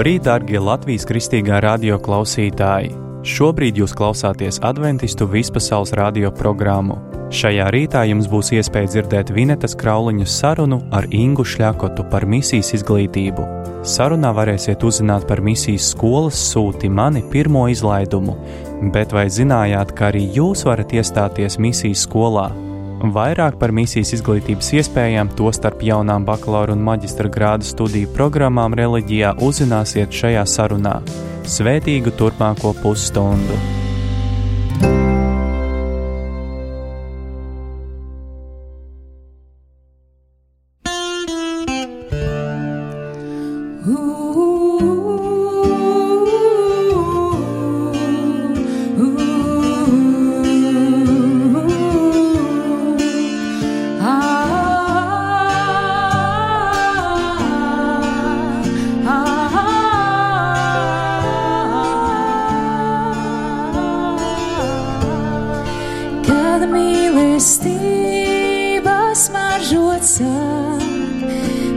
Labrīt, darbie Latvijas Kristīgā radio klausītāji! Šobrīd jūs klausāties Adventistu vispasaules radio programmu. Šajā rītā jums būs iespēja dzirdēt Vinetas Krauliņas sarunu ar Ingu Šļakotu par misijas izglītību. Sarunā varēsiet uzzināt par misijas skolas Sūti mani pirmo izlaidumu, bet vai zinājāt, ka arī jūs varat iestāties misijas skolā? Vairāk par misijas izglītības iespējām, tostarp jaunām bakalaura un maģistra grāda studiju programmām reliģijā uzzināsiet šajā sarunā. Svētīgu turpmāko pusstundu!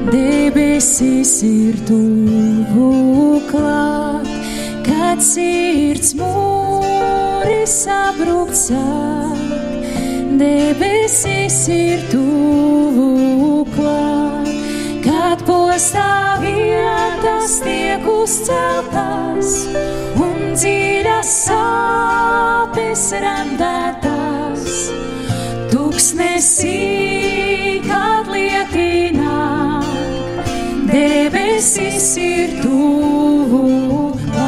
Debesis ir tuvu klāt, kad sirds mūris sabrukt sāk. Debesis ir tuvu klāt, kad postā vietas tiek uzceltas un dziļas sāpes randētas. Tuksnesī, kad lietinā, debesis ir tuvu klāt.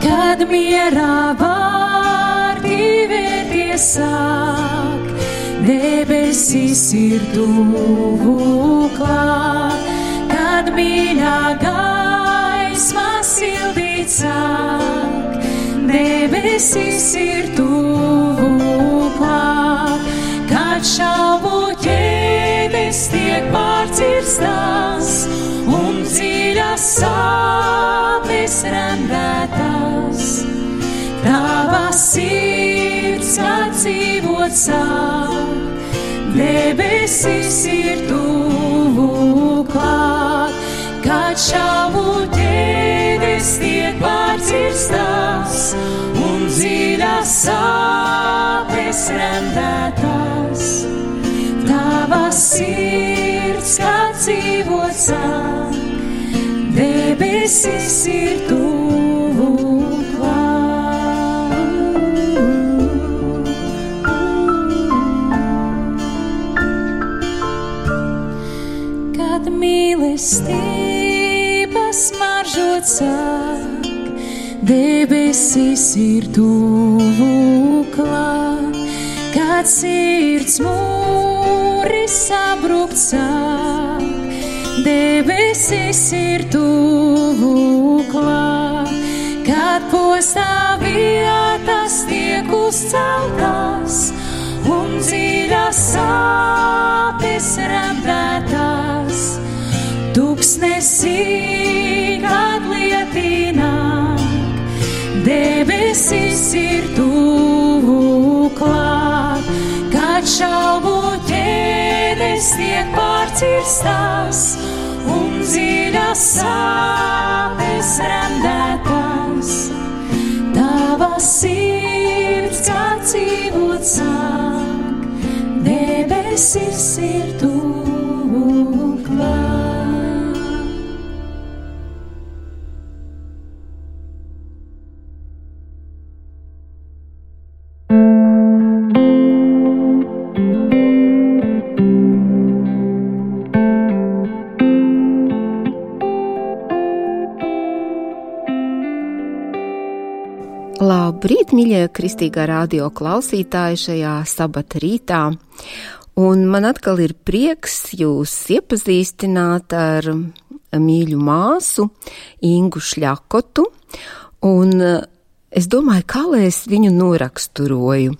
Kad mierā vārdi vērties sāk, debesis ir tuvu klāt. Kad mīļā gaisma sildīt sāk, debesis ir tuvu klāt. Kad šaubu ķēdes tiek pārcirstas un dziļas sāpes randētas, tava sirds, kad dzīvot sāk, debesis ir tuvu klāt. Kad šaubu ķēdes tiek pārcirstas un dziļas sāpes randētas, tava sirds, kad dzīvot sāk, debesis ir tuvu klāt. Kad mīlestība smaržot sāk, debesis ir tuvu klāt. Kad sirds mūris sabrukt sāk, debesis ir tuvu klāt. Kad postā vietas tiek uzceltas un dziļas sāpes randētas, tuksnesī, kad lietināk, debesis ir tuvu klāt. Kad šaubu ķēdes tiek pārcirstas un dziļas sāpes randētas, tava sirds, kad dzīvot sāk, debesis ir tuvu klāt. Labrīt, mīļie Kristīgā radio klausītāji šajā sabata rītā, un man atkal ir prieks jūs iepazīstināt ar mīļu māsu Ingu Šļakotu, un es domāju, kā lai es viņu noraksturoju.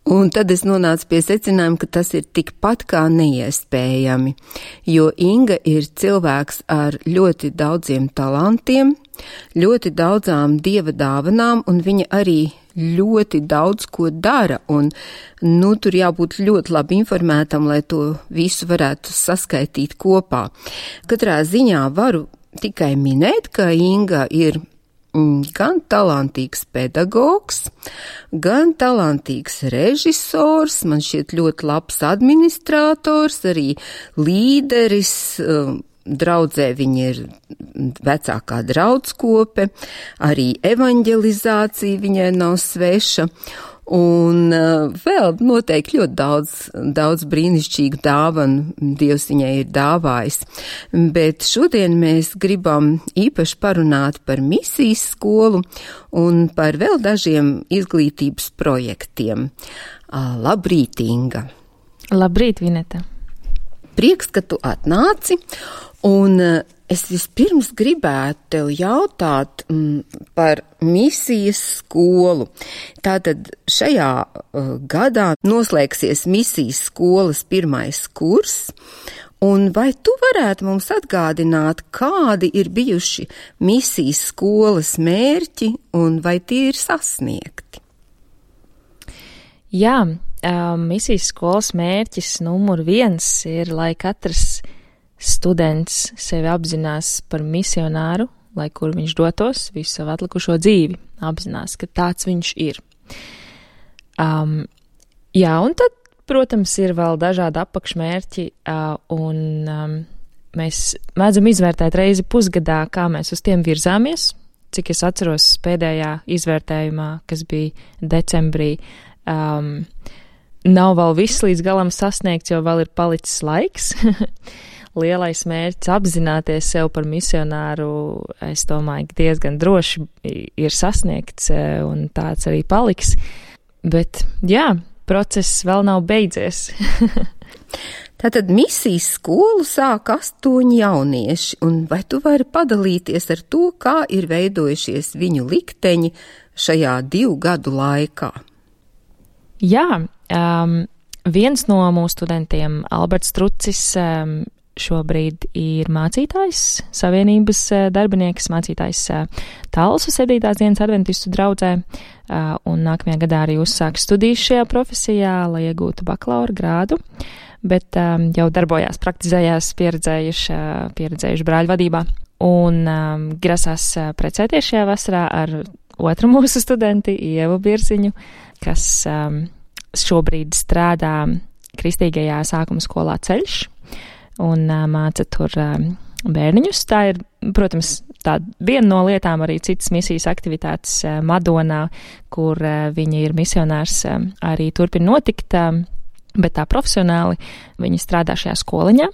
Un tad es nonācu pie secinājuma, ka tas ir tikpat kā neiespējami, jo Inga ir cilvēks ar ļoti daudziem talantiem, ļoti daudzām dieva dāvanām, un viņa arī ļoti daudz ko dara, un, tur jābūt ļoti labi informētam, lai to visu varētu saskaitīt kopā. Katrā ziņā varu tikai minēt, ka Inga ir gan talantīgs pedagogs, gan talantīgs režisors, man šķiet ļoti labs administrators, arī līderis, draudzē viņa ir vecākā draudskope, arī evaņģelizācija viņai nav sveša, un vēl noteikti ļoti daudz brīnišķīgu dāvanu Dievs viņai ir dāvājis. Bet šodien mēs gribam īpaši parunāt par misijas skolu un par vēl dažiem izglītības projektiem. Labrīt, Inga! Labrīt, Vineta! Prieks, ka tu atnāci, un es vispirms gribētu tev jautāt par misijas skolu. Tātad šajā gadā noslēgsies misijas skolas 1. kurs, un vai tu varētu mums atgādināt, kādi ir bijuši misijas skolas mērķi, un vai tie ir sasniegti? Jā, misijas skolas mērķis numur 1 ir, lai katrs students sevi apzinās par misionāru, lai kur viņš dotos visu savu atlikušo dzīvi, apzinās, ka tāds viņš ir. Jā, un tad, protams, ir vēl dažādi apakšmērķi, un mēs mēdzam izvērtēt reizi pusgadā, kā mēs uz tiem virzāmies, cik es atceros pēdējā izvērtējumā, kas bija decembrī. Nav vēl viss līdz galam sasniegts, jo vēl ir palicis laiks. Lielais mērķis apzināties sev par misionāru, es domāju, ka diezgan droši ir sasniegts, un tāds arī paliks. Bet, jā, process vēl nav beidzies. Tātad misijas skolu sāk 8 jaunieši, un vai tu vari padalīties ar to, kā ir veidojušies viņu likteņi šajā 2 gadu laikā? Jā, viens no mūsu studentiem, Alberts Trucis, šobrīd ir mācītājs, Savienības darbinieks, mācītājs Talsu 7. dienas adventistu draudzē, un nākamajā gadā arī uzsāks studijas šajā profesijā, lai iegūtu bakalaura grādu, bet jau darbojās, praktizējās pieredzējuši brāļu vadībā, un grasās precēties šajā vasarā ar otru mūsu studenti, Ievu Birziņu, kas šobrīd strādā kristīgajā sākuma skolā Ceļš un māca tur bērniņus. Tā ir, protams, tā viena no lietām, arī citas misijas aktivitātes Madonā, kur viņa ir misionārs, arī turpina notikt, bet tā profesionāli viņa strādā šajā skoliņā.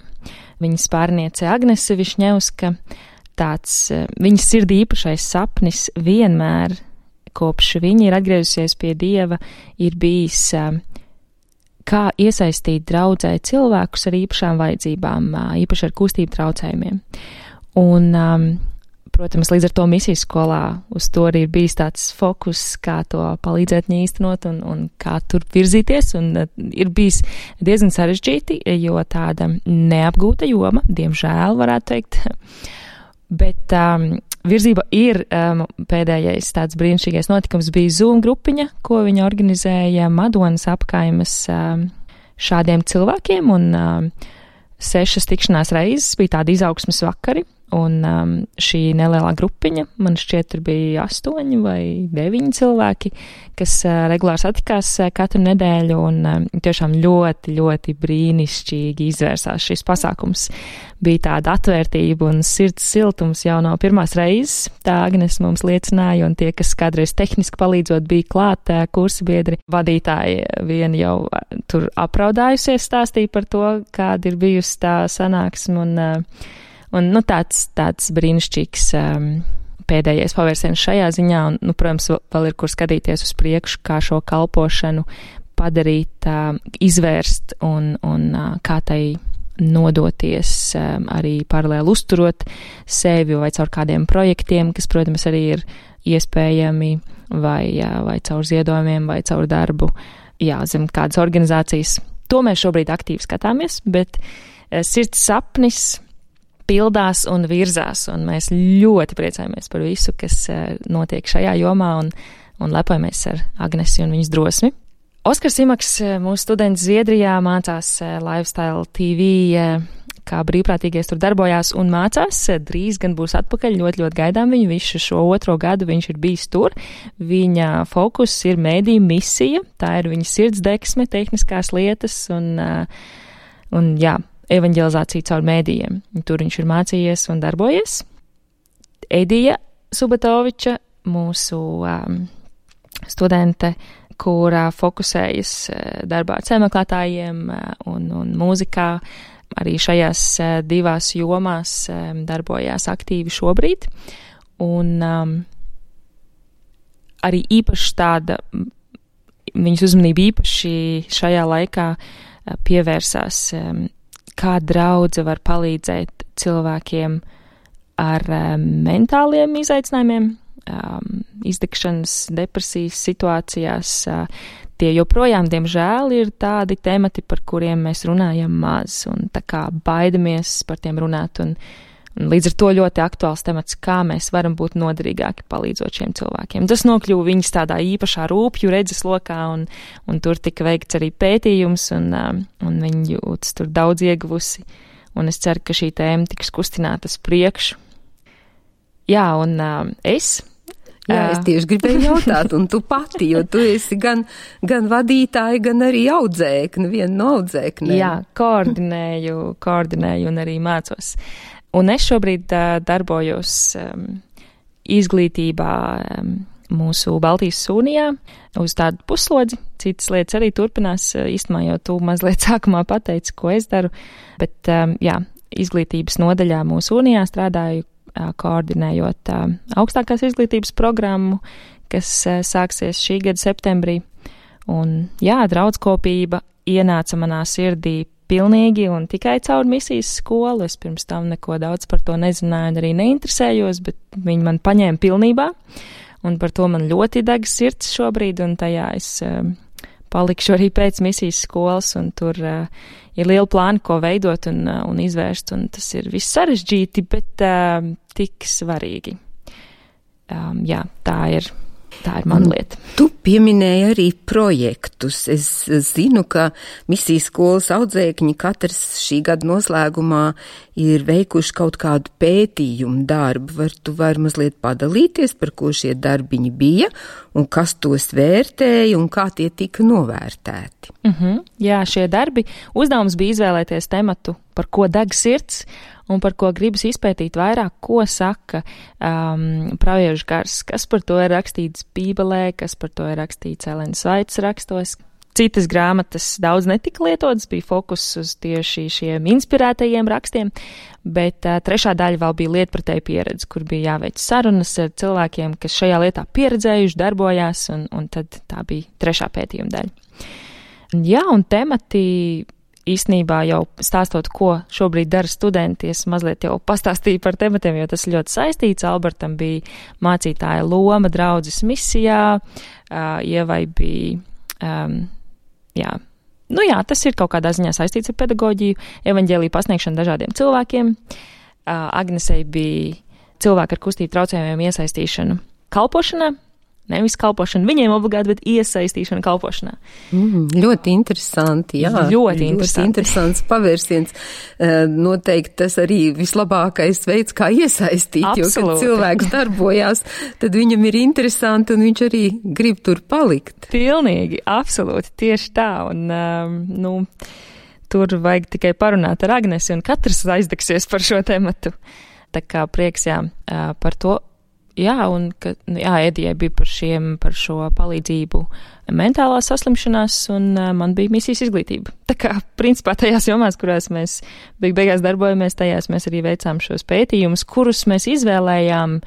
Viņas pārniece Agnese Višņevska, tāds viņas sirdī īpašais sapnis vienmēr, kopš viņa ir atgriezusies pie Dieva, ir bijis, kā iesaistīt draudzē cilvēkus ar īpašām vajadzībām, īpaši ar kustību traucējumiem. Un, protams, līdz ar to misijas skolā uz to arī ir bijis tāds fokus, kā to palīdzēt viņai īstenot un kā tur virzīties, un ir bijis diezgan sarežģīti, jo tāda neapgūta joma, diemžēl varētu teikt, bet virzība ir pēdējais tāds brīnišķīgais notikums bija Zoom grupiņa, ko viņa organizēja Madonas apkaimes šādiem cilvēkiem, un 6 tikšanās reizes bija tādi izaugsmes vakari, un šī nelielā grupiņa, man šķiet, tur bija 8 vai 9 cilvēki, kas regulāri satikās katru nedēļu, un tiešām ļoti, ļoti brīnišķīgi izvērsās šis pasākums. Bija tāda atvērtība un sirds siltums jau no pirmās reizes, tā Agnes mums liecināja, un tie, kas kādreiz tehniski palīdzot bija klāt, kursa biedri, vadītāji vieni jau tur apraudājusies stāstīja par to, kāda ir bijusi tā sanāksme, un tāds brīnišķīgs pēdējais pavērsiens šajā ziņā, un, protams, vēl ir kur skatīties uz priekšu, kā šo kalpošanu padarīt, izvērst un kā tai nodoties, arī paralēli uzturot sevi vai caur kādiem projektiem, kas, protams, arī ir iespējami vai caur ziedojumiem vai caur darbu, zem kādas organizācijas. To mēs šobrīd aktīvi skatāmies, bet sirds sapnis pildās un virzās, un mēs ļoti priecājamies par visu, kas notiek šajā jomā, un lepojamies ar Agnesi un viņas drosmi. Oskars Imaks, mūsu students Zviedrijā, mācās Lifestyle TV, kā brīvprātīgais tur darbojās un mācās. Drīz gan būs atpakaļ, ļoti gaidām viņu. Visu šo 2. gadu viņš ir bijis tur. Viņa fokus ir mēdīju misija, tā ir viņa sirdsdeksme, tehniskās lietas un evanģelizācija caur mēdījiem. Tur viņš ir mācījies un darbojies. Edija Subatoviča, mūsu studente, kurā fokusējas darbā ar ceļmeklētājiem un mūzikā, arī šajās 2 jomās darbojās aktīvi šobrīd. Un arī īpaši tāda, viņas uzmanība īpaši šajā laikā pievērsās, kā draudze var palīdzēt cilvēkiem ar mentāliem izaicinājumiem, izdegšanas, depresijas situācijās. Tie joprojām, diemžēl, ir tādi temati, par kuriem mēs runājam maz, un tā kā baidamies par tiem runāt, un līdz ar to ļoti aktuāls temats, kā mēs varam būt noderīgāki palīdzot šiem cilvēkiem. Tas nokļuva viņas tādā īpašā rūpju redzes lokā, un tur tika veikts arī pētījums, un viņi jūtas tur daudz ieguvusi, un es ceru, ka šī tēma tiks kustināta uz priekšu. Jā, un es... Jā, es tieši gribēju jautāt, un tu pati, jo tu esi gan vadītāja, gan arī audzēkne, viena no audzēknēm. Jā, koordinēju un arī mācos. Un es šobrīd darbojos izglītībā mūsu Baltijas Sūnijā uz tādu puslodzi. Citas lietas arī turpinās, īstenībā jau tu mazliet sākumā pateici, ko es daru, bet izglītības nodaļā mūsu Sūnijā strādāju, koordinējot augstākās izglītības programmu, kas sāksies šī gada septembrī. Un draudskopība ienāca manā sirdī pilnīgi un tikai caur misijas skolu. Es pirms tam neko daudz par to nezināju un arī neinteresējos, bet viņi man paņēma pilnībā, un par to man ļoti deg sirds šobrīd, un tajā es palikšu arī pēc misijas skolas, un tur ir liela plāna, ko veidot un izvērst, un tas ir viss sarežģīti, bet tik svarīgi. Tā ir mana lieta. Tu pieminēji arī projektus. Es zinu, ka misijas skolas audzēkņi katrs šī gada noslēgumā ir veikuši kaut kādu pētījumu darbu. Tu vari mazliet padalīties, par ko šie darbiņi bija un kas tos vērtēja un kā tie tika novērtēti. Jā, šie darbi. Uzdevums bija izvēlēties tematu, par ko deg sirds un par ko gribas izpētīt vairāk, ko saka praviešu gars, kas par to ir rakstīts Bībelē, kas par to ir rakstīts Elenas Vaitas rakstos. Citas grāmatas daudz netika lietotas, bija fokus uz tieši šiem inspirētajiem rakstiem, bet trešā daļa vēl bija lietpratēja pieredze, kur bija jāveic sarunas ar cilvēkiem, kas šajā lietā pieredzējuši, darbojās, un tad tā bija trešā pētījuma daļa. Jā, un temati īstenībā jau stāstot, ko šobrīd dara studenti, es mazliet jau pastāstīju par tematiem, jo tas ļoti saistīts. Albertam bija mācītāja loma draudzes misijā, Ievai bija, tas ir kaut kādā ziņā saistīts ar pedagoģiju, evaņģēliju pasniegšanu dažādiem cilvēkiem. Agnesei bija cilvēku ar kustību traucējumiem iesaistīšanu kalpošanā. Nevis kalpošana viņiem obligāti, bet iesaistīšana kalpošanā. Ļoti interesanti, jā. Ļoti interesants pavērsiens. Noteikti tas arī vislabākais veids, kā iesaistīt, absolūti. Jo, kad cilvēks darbojās, tad viņam ir interesanti un viņš arī grib tur palikt. Pilnīgi, absolūti, tieši tā. Un, tur vajag tikai parunāt ar Agnesi, un katrs aizdegsies par šo tematu. Tā kā prieks, par to. Jā, un Edijai bija par šo palīdzību mentālās saslimšanās, un man bija misijas izglītība. Tā kā, principā, tajās jomās, kurās mēs beigās darbojamies, tajās mēs arī veicām šos pētījumus, kurus mēs izvēlējām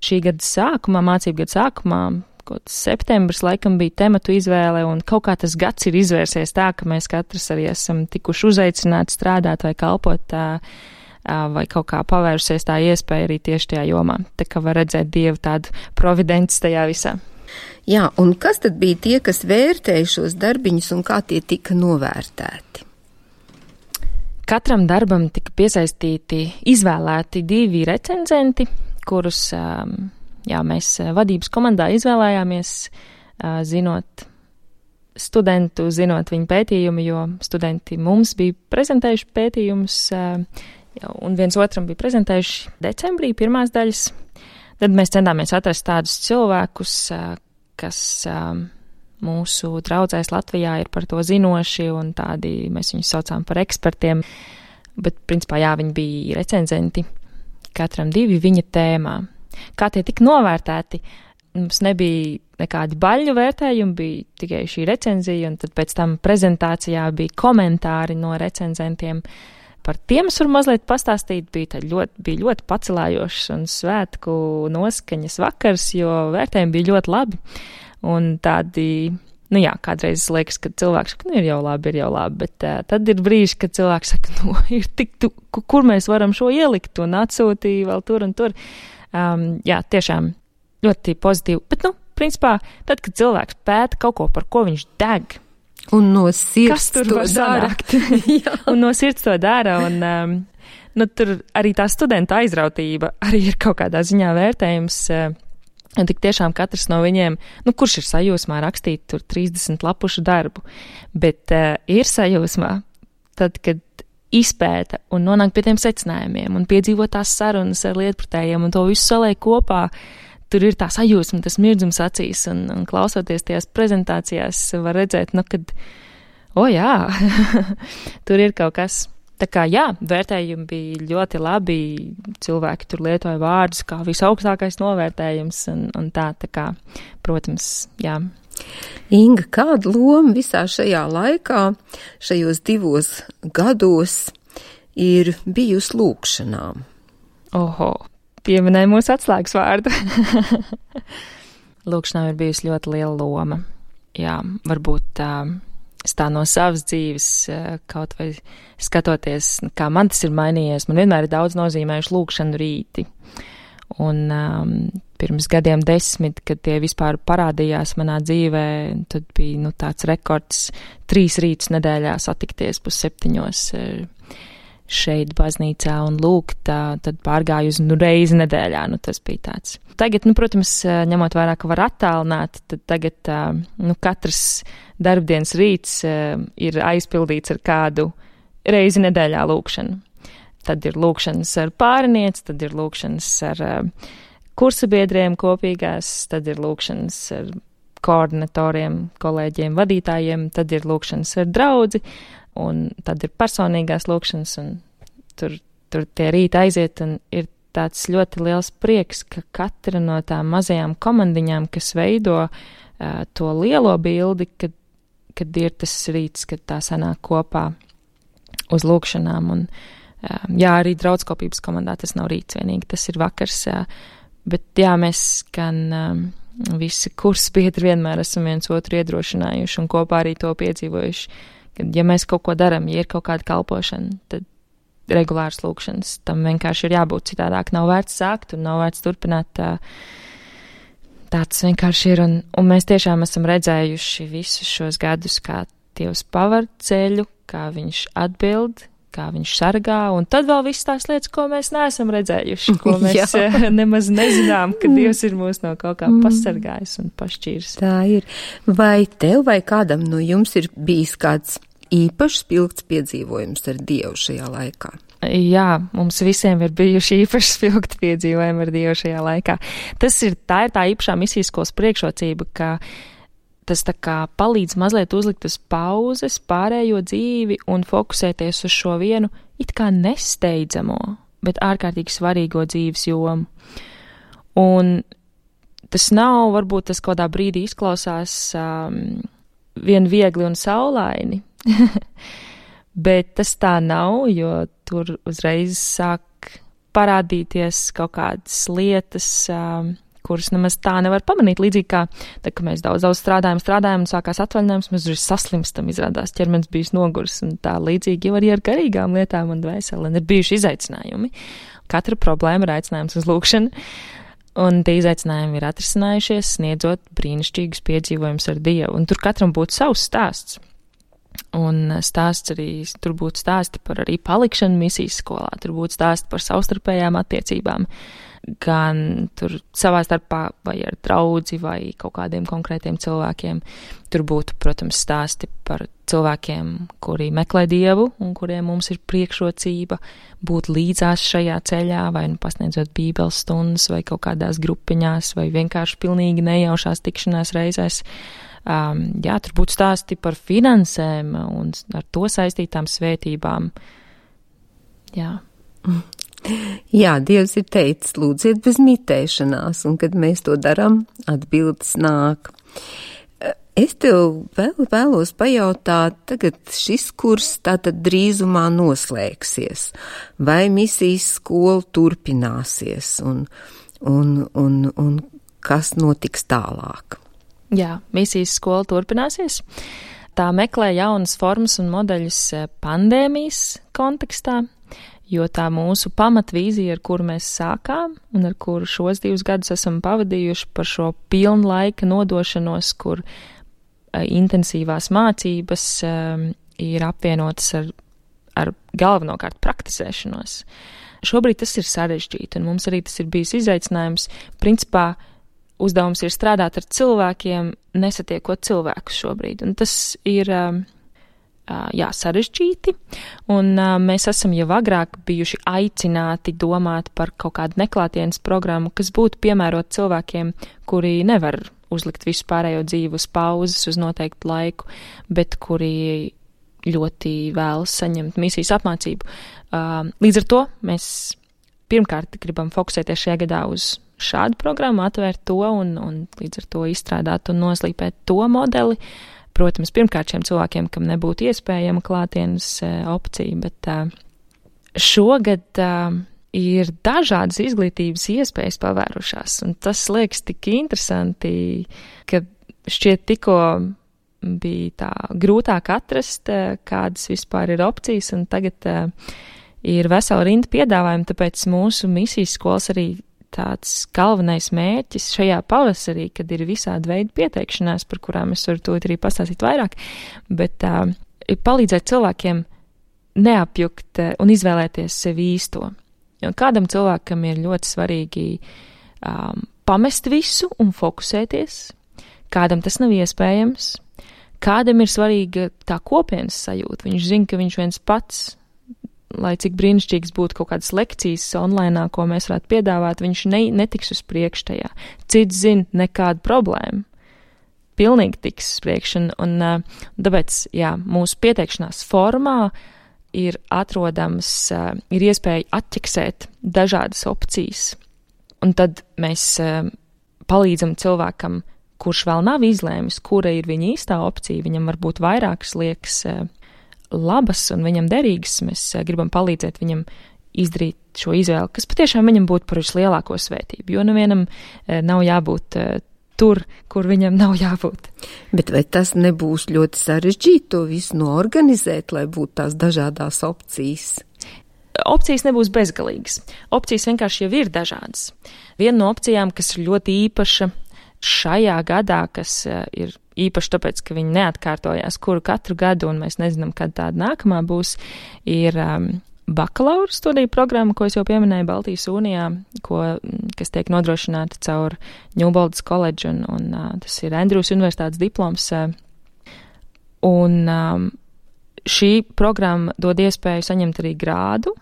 šī gada sākumā, mācību gada sākumā, kaut septembris laikam bija tematu izvēle, un kaut kā tas gads ir izvērsies tā, ka mēs katrs arī esam tikuši uzaicināti strādāt vai kalpot vai kaut kā pavērsies tā iespēja arī tieši tajā jomā. Tā kā var redzēt Dievu tādu providenci tajā visā. Jā, un kas tad bija tie, kas vērtēja šos darbiņus un kā tie tika novērtēti? Katram darbam tika piesaistīti, izvēlēti 2 recenzenti, kurus mēs vadības komandā izvēlējāmies, zinot studentu, zinot viņu pētījumu, jo studenti mums bija prezentējuši pētījumus, un viens otram bija prezentējuši decembrī pirmās daļas. Tad mēs centāmies atrast tādus cilvēkus, kas mūsu draudzēs Latvijā ir par to zinoši, un tādi, mēs viņus saucām par ekspertiem, bet principā, viņi bija recenzenti, katram 2 viņa tēmā. Kā tie tika novērtēti? Mums nebija nekādi baļu vērtējumi, bija tikai šī recenzija, un tad pēc tam prezentācijā bija komentāri no recenzentiem. Par tiem es varu mazliet pastāstīt, bija ļoti pacelājošs un svētku noskaņas vakars, jo vērtējumi bija ļoti labi. Un tādi, kādreiz liekas, ka cilvēks saka, ir jau labi, bet tad ir brīži, kad cilvēks saka, ir tik, kur mēs varam šo ielikt, un atsūtīja vēl tur un tur. Tiešām ļoti pozitīvi, bet, principā, tad, kad cilvēks pēta kaut ko, par ko viņš deg, un no sirds to dara. Un no sirds to dara, un tur arī tā studenta aizrautība arī ir kaut kādā ziņā vērtējums, un tik tiešām katrs no viņiem, kurš ir sajūsmā rakstīt tur 30 lapušu darbu, bet ir sajūsmā tad, kad izpēta un nonāk pie tiem secinājumiem un piedzīvo tās sarunas ar lietpratējiem un to visu saliek kopā, tur ir tā sajūsma, tas mirdzums acīs, un klausoties tajās prezentācijās var redzēt, kad, tur ir kaut kas. Tā kā, vērtējumi bija ļoti labi, cilvēki tur lietoja vārdus kā visaugstākais novērtējums, un tā kā, protams, Inga, kāda loma visā šajā laikā, šajos 2 gados ir bijusi lūkšanām? Pieminēja mūsu atslēgas vārdu. Lūkšanām ir bijusi ļoti liela loma. Varbūt tā no savas dzīves, kaut vai skatoties, kā man tas ir mainījies, man vienmēr ir daudz nozīmējuši lūkšanu rīti. Un pirms gadiem 10, kad tie vispār parādījās manā dzīvē, tad bija tāds rekords 3 rītus nedēļā satikties 6:30 šeit baznīcā un lūgt, tad pārgāju uz reizi nedēļā, tas bija tāds. Tagad, protams, ņemot vērā, ka var attālināt, tad tagad katrs darbdienas rīts ir aizpildīts ar kādu reizi nedēļā lūkšanu. Tad ir lūkšanas ar pārinieci, tad ir lūkšanas ar kursabiedriem kopīgās, tad ir lūkšanas ar koordinatoriem, kolēģiem, vadītājiem, tad ir lūkšanas ar draudzi, un tad ir personīgās lūkšanas, un tur tie rīti aiziet, un ir tāds ļoti liels prieks, ka katra no tām mazajām komandiņām, kas veido to lielo bildi, kad ir tas rīts, kad tā sanāk kopā uz lūkšanām, un arī draudskopības komandā tas nav rīts vienīgi, tas ir vakars, bet mēs gan visi kursbiedri vienmēr esam viens otru iedrošinājuši un kopā arī to piedzīvojuši, kad, mēs kaut ko daram, ir kaut kāda kalpošana, tad regulārs lūkšanas, tam vienkārši ir jābūt, citādāk nav vērts sākt un nav vērts turpināt, tāds vienkārši ir, un mēs tiešām esam redzējuši visus šos gadus, kā Dievs pavar ceļu, kā viņš atbild, kā viņš sargā, un tad vēl viss tās lietas, ko mēs neesam redzējuši, ko mēs nemaz nezinām, ka Dievs ir mūs no kaut kā pasargājis un pašķīris. Tā ir. Vai tev vai kādam no jums ir bijis kāds īpašs spilgts piedzīvojums ar Dievu šajā laikā? Mums visiem ir bijuši īpaši spilgti piedzīvojumi ar Dievu šajā laikā. Tā ir tā īpašā misijas skolas priekšrocība, ka tas tā kā palīdz mazliet uzlikt uz pauzes pārējo dzīvi un fokusēties uz šo vienu it kā nesteidzamo, bet ārkārtīgi svarīgo dzīves jomu. Un tas nav, varbūt tas kādā brīdī izklausās vien viegli un saulaini, bet tas tā nav, jo tur uzreiz sāk parādīties kaut kādas lietas, kuras nemaz tā nevar pamanīt. Līdzīgi kā, tad, kad mēs daudz strādājam un sākās atvaļinājums, mēs uzreiz saslimstam, izrādās ķermenis bijis nogurs, un tā līdzīgi jau arī ar garīgām lietām un dvēseli, un ir bijuši izaicinājumi. Katra problēma ir aicinājums uz lūkšanu, un tie izaicinājumi ir atrisinājušies, sniedzot brīnišķīgus piedzīvojumus ar Dievu, un tur katram būtu savs stāsts. Un stāsts arī, tur būtu stāsti par arī palikšanu misijas skolā, tur būtu stāsti par savstarpējām attiecībām, gan tur savā starpā vai ar draudzi vai kaut kādiem konkrētiem cilvēkiem. Tur būtu, protams, stāsti par cilvēkiem, kuri meklē Dievu un kuriem mums ir priekšrocība būt līdzās šajā ceļā, vai nu pasniedzot bībeles stundas, vai kaut kādās grupiņās, vai vienkārši pilnīgi nejaušās tikšanās reizēs. Jā, tur būtu stāsti par finansēm un ar to saistītām svētībām. Jā. Jā, Dievs ir teicis, lūdziet bez mitēšanās, un kad mēs to darām, atbildes nāk. Es tev vēlos pajautāt, tagad šis kurs tātad drīzumā noslēgsies, vai misijas skola turpināsies, un kas notiks tālāk? Jā, misijas skola turpināsies. Tā meklē jaunas formas un modeļus pandēmijas kontekstā, jo tā mūsu pamatvīzija, ar kuru mēs sākām un ar kuru šos 2 gadus esam pavadījuši par šo pilnlaika nodošanos, kur intensīvās mācības ir apvienotas ar galvenokārt praktizēšanos. Šobrīd tas ir sarežģīti, un mums arī tas ir bijis izaicinājums. Principā uzdevums ir strādāt ar cilvēkiem, nesatiekot cilvēkus šobrīd, un tas ir sarežģīti, un mēs esam jau agrāk bijuši aicināti domāt par kaut kādu neklātienes programmu, kas būtu piemērot cilvēkiem, kuri nevar uzlikt visu pārējo dzīvi uz pauzes uz noteiktu laiku, bet kuri ļoti vēlas saņemt misijas apmācību. Līdz ar to mēs pirmkārt gribam fokusēties šajā gadā uz šādu programmu, atvērt to un līdz ar to izstrādāt un noslīpēt to modeli. Protams, pirmkārt šiem cilvēkiem, kam nebūtu iespējama klātienes opcija, bet šogad ir dažādas izglītības iespējas pavērušās, un tas liekas tik interesanti, ka šķiet tikko bija tā grūtāk atrast, kādas vispār ir opcijas, un tagad ir vesela rinda piedāvājumi, tāpēc mūsu misijas skolas arī tāds galvenais mērķis šajā pavasarī, kad ir visādi veidi pieteikšanās, par kurām es varu tūlīt arī pastāstīt vairāk, bet ir palīdzēt cilvēkiem neapjukt un izvēlēties sev īsto. Jo kādam cilvēkam ir ļoti svarīgi pamest visu un fokusēties, kādam tas nav iespējams, kādam ir svarīga tā kopienas sajūta. Viņš zina, ka viņš viens pats, lai cik brīnišķīgs būtu kaut kādas lekcijas online, ko mēs varētu piedāvāt, viņš netiks uz priekšu tajā. Cits zina, nekāda problēma. Pilnīgi tiks uz priekšu, un tāpēc, jā, mūsu pieteikšanās formā ir atrodams, ir iespēja atķeksēt dažādas opcijas, un tad mēs palīdzam cilvēkam, kurš vēl nav izlēmis, kura ir viņa īstā opcija, viņam varbūt vairākas liekas labas un viņam derīgas, mēs gribam palīdzēt viņam izdarīt šo izvēli, kas patiešām viņam būtu par vislielāko svētību, jo nevienam nav jābūt tur, kur viņam nav jābūt. Bet vai tas nebūs ļoti sarežģīti to visu noorganizēt, lai būtu tās dažādās opcijas? Opcijas nebūs bezgalīgas. Opcijas vienkārši jau ir dažādas. Viena no opcijām, kas ir ļoti īpaša šajā gadā, kas ir īpaši tāpēc, ka viņi neatkārtojās katru gadu, un mēs nezinām, kad tāda nākamā būs, ir bakalaura studiju programma, ko es jau pieminēju Baltijas Unijā, kas tiek nodrošināta caur Ņūboldas koledžu, un tas ir Andrews universitātes diploms. Un šī programma dod iespēju saņemt arī grādu.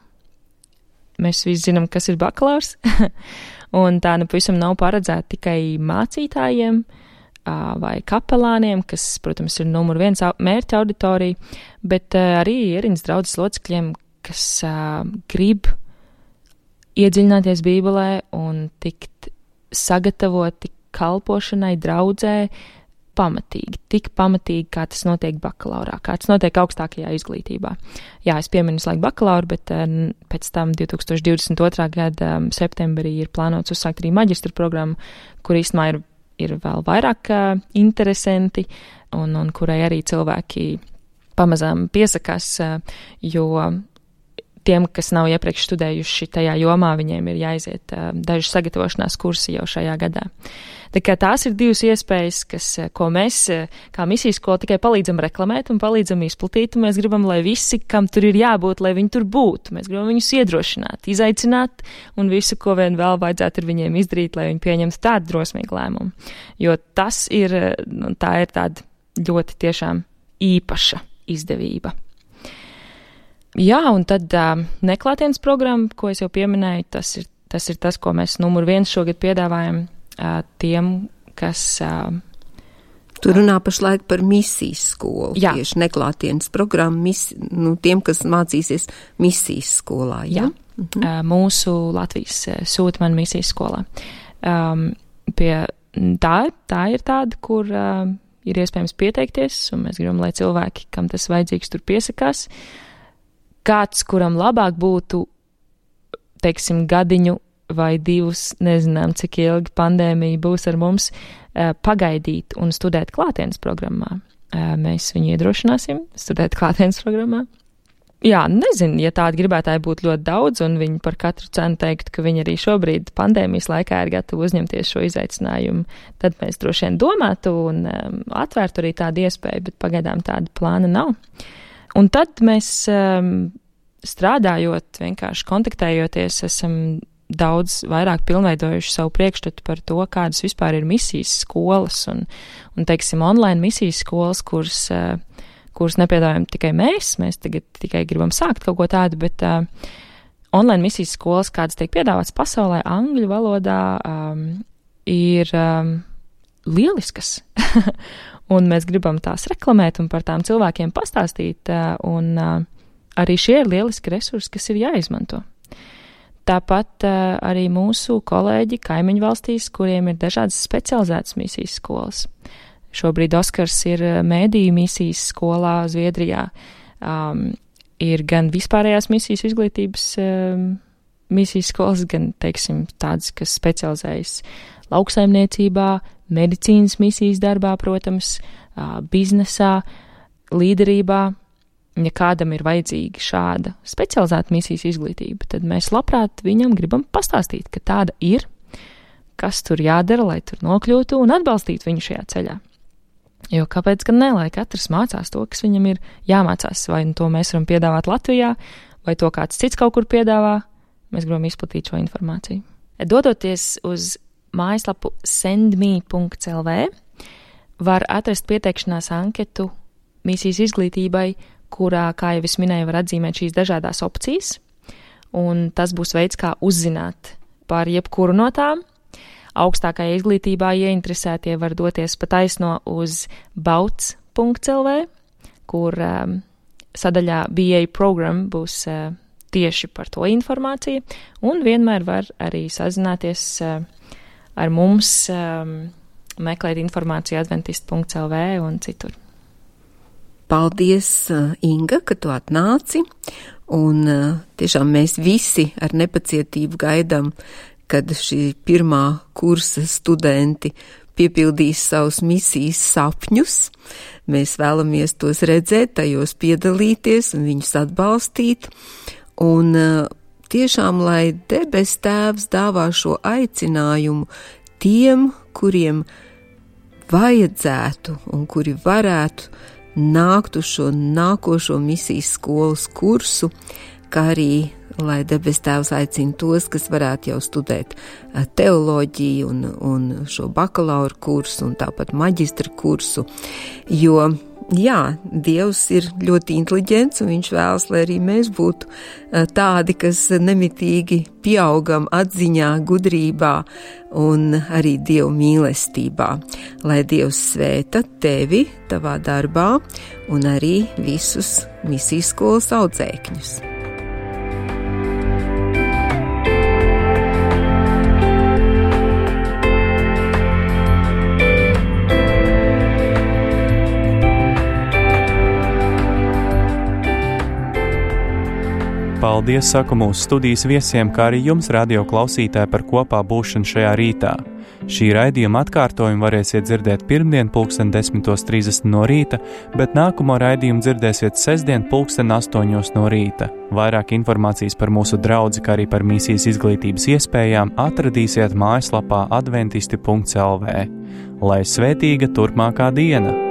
Mēs visi zinām, kas ir bakalaurs, un tā pavisam nav paredzēta tikai mācītājiem vai kapelāniem, kas, protams, ir numur 1 mērķa auditorija, bet arī ierīnas draudzes locekļiem, kas grib iedziļināties Bībelē un tikt sagatavoti kalpošanai draudzē pamatīgi, tik pamatīgi, kā tas notiek bakalaurā, kā tas notiek augstākajā izglītībā. Jā, es pieminu visu laiku bakalauru, bet pēc tam 2022. Gada septembrī ir plānots uzsākt arī maģistra programmu, kur īstenībā ir vēl vairāk interesanti un kurai arī cilvēki pamazām piesakās, jo tiem, kas nav iepriekš studējuši tajā jomā, viņiem ir jāiziet daži sagatavošanās kursi jau šajā gadā. Tā kā tās ir divas iespējas, ko mēs, kā misijas skola, tikai palīdzam reklamēt un palīdzam izplatīt, un mēs gribam, lai visi, kam tur ir jābūt, lai viņi tur būtu. Mēs gribam viņus iedrošināt, izaicināt, un visu, ko vien vēl vajadzētu ar viņiem izdarīt, lai viņi pieņemtu tādu drosmīgu lēmumu. Jo tas ir, tā ir tāda ļoti tiešām īpaša izdevība. Jā, un tad neklātienes programma, ko es jau pieminēju, tas ir tas, ko mēs numur 1 šogad piedāvājam tiem, kas... Tu runā pašlaik par misijas skolu. Jā. Tieši neklātienes programma, tiem, kas mācīsies misijas skolā. Jā. Mūsu Latvijas sūta man misijas skolā. Tā ir tāda, kur ir iespējams pieteikties, un mēs gribam, lai cilvēki, kam tas vajadzīgs, tur piesakās. Kāds, kuram labāk būtu, teiksim, gadiņu vai 2, nezinām, cik ilgi pandēmija būs ar mums, pagaidīt un studēt klātienes programmā. Mēs viņu iedrošināsim studēt klātienes programmā. Jā, nezinu, ja tādi gribētāji būtu ļoti daudz, un viņi par katru cenu teiktu, ka viņi arī šobrīd pandēmijas laikā ir gatavi uzņemties šo izaicinājumu, tad mēs droši vien domātu un atvērtu arī tādu iespēju, bet pagaidām tāda plāna nav. Un tad mēs strādājot, vienkārši kontaktējoties, esam daudz vairāk pilnveidojuši savu priekšstatu par to, kādas vispār ir misijas skolas un teiksim, online misijas skolas, kuras nepiedāvājam tikai mēs tagad tikai gribam sākt kaut ko tādu, bet online misijas skolas, kādas tiek piedāvāts pasaulē angļu valodā, ir lieliskas. Un mēs gribam tās reklamēt un par tām cilvēkiem pastāstīt, un arī šie ir lieliski resursi, kas ir jāizmanto. Tāpat arī mūsu kolēģi kaimiņu valstīs, kuriem ir dažādas specializētas misijas skolas. Šobrīd Oskars ir mēdīju misijas skolā Zviedrijā. Ir gan vispārējās misijas izglītības misijas skolas, gan, teiksim, tādas, kas specializējas lauksaimniecībā, medicīnas misijas darbā, protams, biznesā, līderībā. Ja kādam ir vajadzīga šāda specializēta misijas izglītība, tad mēs labprāt viņam gribam pastāstīt, ka tāda ir, kas tur jādara, lai tur nokļūtu un atbalstītu viņu šajā ceļā. Jo kāpēc gan ne, lai katrs mācās to, kas viņam ir jāmācās, vai to mēs varam piedāvāt Latvijā, vai to kāds cits kaut kur piedāvā, mēs gribam izplatīt šo informāciju. Dodoties uz mājaslapu sendme.lv, var atrast pieteikšanās anketu misijas izglītībai, kurā, kā jau es minēju, var atzīmēt šīs dažādās opcijas, un tas būs veids, kā uzzināt par jebkuru no tām. Augstākajā izglītībā ieinteresētie var doties pa taisno uz bauts.lv, kur sadaļā BA program būs tieši par to informāciju, un vienmēr var arī sazināties ar mums, meklēt informāciju adventist.lv un citur. Paldies, Inga, ka tu atnāci, un tiešām mēs visi ar nepacietību gaidām, kad šī pirmā kursa studenti piepildīs savus misijas sapņus. Mēs vēlamies tos redzēt, tajos piedalīties un viņus atbalstīt, un tiešām, lai debes Tēvs dāvā šo aicinājumu tiem, kuriem vajadzētu un kuri varētu nākt uz šo nākošo misijas skolas kursu, kā arī, lai debes Tēvs aicina tos, kas varētu jau studēt teoloģiju un šo bakalaura kursu un tāpat maģistra kursu, jo, jā, Dievs ir ļoti inteliģents un viņš vēlas, lai arī mēs būtu tādi, kas nemitīgi pieaugam atziņā, gudrībā un arī Dievu mīlestībā. Lai Dievs svēta tevi tavā darbā un arī visus misijas skolas audzēkņus. Paldies saku mūsu studijas viesiem, kā arī jums, radio klausītāji, par kopā būšanu šajā rītā. Šī raidījuma atkārtojumu varēsiet dzirdēt pirmdien 10:30 no rīta, bet nākamo raidījumu dzirdēsiet sestdien 8:00 no rīta. Vairāk informācijas par mūsu draudzi, kā arī par misijas izglītības iespējām atradīsiet mājaslapā adventisti.lv. Lai svētīga turpmākā diena!